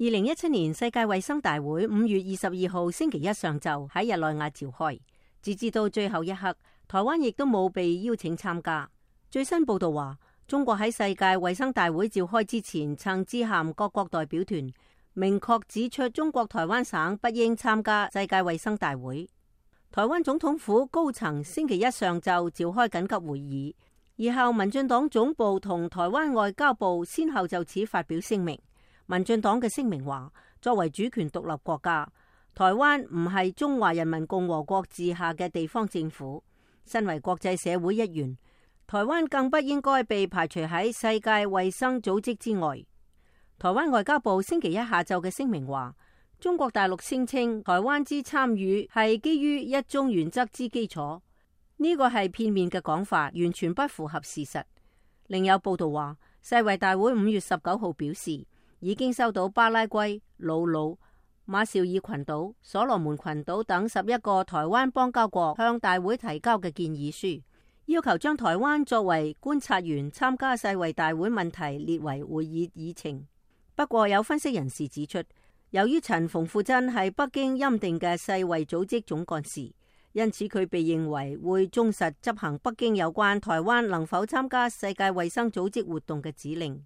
2017年世界衛生大會5月22號星期一上晝喺日內瓦召開，直至到最後一刻，台灣亦都冇被邀請參加。最新報道話，中國喺世界衛生大會召開之前，曾致函各國代表團，明確指出中國台灣省不應參加世界衛生大會。台灣總統府高層星期一上晝召開緊急會議，而後民進黨總部同台灣外交部先後就此發表聲明。民進黨嘅聲明話，作為主權獨立國家，台灣唔係中華人民共和國治下嘅地方政府，身為國際社會一員，台灣更不應該被排除喺世界衛生組織之外。台灣外交部星期一下晝嘅聲明話，中國大陸聲稱台灣之參與係基於一中原則之基礎，呢個係片面嘅講法，完全不符合事實。另有報道話，世衛大會5月19號表示，已經收到巴拉圭、瑙魯、馬紹爾群島、所羅門群島等11個台灣邦交國向大會提交嘅建議書，要求將台灣作為觀察員參加世衛大會問題列為會議議程。不過有分析人士指出，由於陳馮富珍係北京欽定嘅世衛組織總幹事，因此佢被認為會忠實執行北京有關台灣能否參加世界衛生組織活動嘅指令。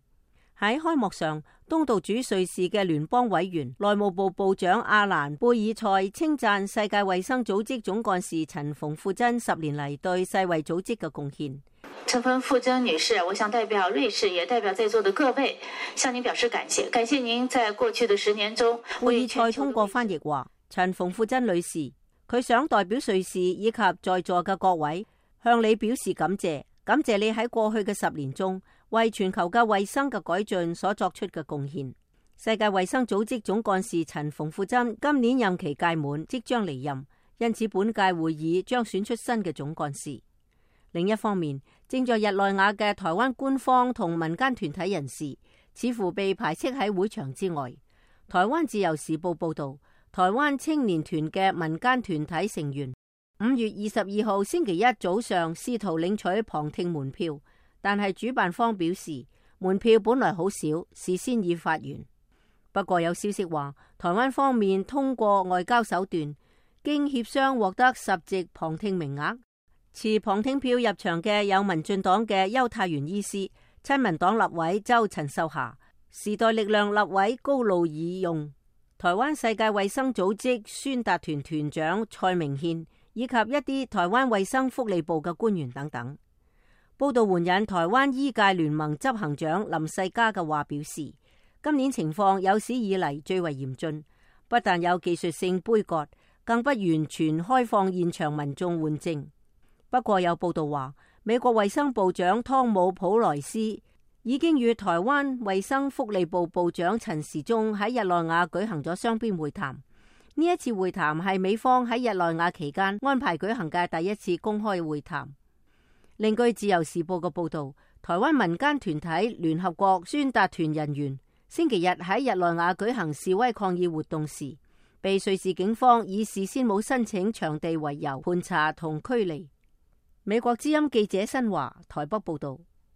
喺開幕上，東道主瑞士嘅聯邦委員、內務部部長阿蘭貝爾塞稱讚世界衛生組織總幹事陳馮富珍10年嚟對世衛組織嘅貢獻。陳馮富珍女士，我想代表瑞士，也代表在座的各位，向您表示感謝。感謝您在過去的10年中。貝爾塞通過翻譯話，陳馮富珍女士，佢想代表瑞士以及在座嘅各位，向你表示感謝，感謝你喺過去嘅10年中，為全球嘅衛生嘅改進所作出嘅貢獻。世界衛生組織總幹事陳馮富珍今年任期屆滿，即將離任，因此本屆會議將選出新嘅總幹事。另一方面，正在日內瓦嘅台灣官方同民間團體人士似乎被排斥喺會場之外。台灣自由時報報道，台灣青年團嘅民間團體成員5月22號星期一早上試圖領取旁聽門票，但係主辦方表示門票本來好少，事先已發完。不過有消息話，台灣方面通過外交手段，經協商獲得10席旁聽名額。持旁聽票入場嘅有民進黨嘅邱泰源醫師、親民黨立委周陳秀霞、時代力量立委高路爾用、台灣世界衛生組織宣達團團長蔡明憲，以及一啲台灣衛生福利部嘅官員等等。報道援引台灣醫界聯盟執行長林世嘉嘅話表示，今年情況有史以嚟最為嚴峻，不但有技術性杯葛，更不完全開放現場民眾換證。不過有報道話，美國衛生部長湯姆普萊斯已經與台灣衛生福利部部長陳時中喺日內瓦舉行咗雙邊會談。呢一次會談係美方喺日內瓦期間安排舉行嘅第一次公開會談。另據自由時報嘅報道，台灣民間團體聯合國宣達團人員星期日喺日內瓦舉行示威抗議活動時，被瑞士警方以事先冇申請場地為由盤查同驅離。美國之音記者新華台北報道。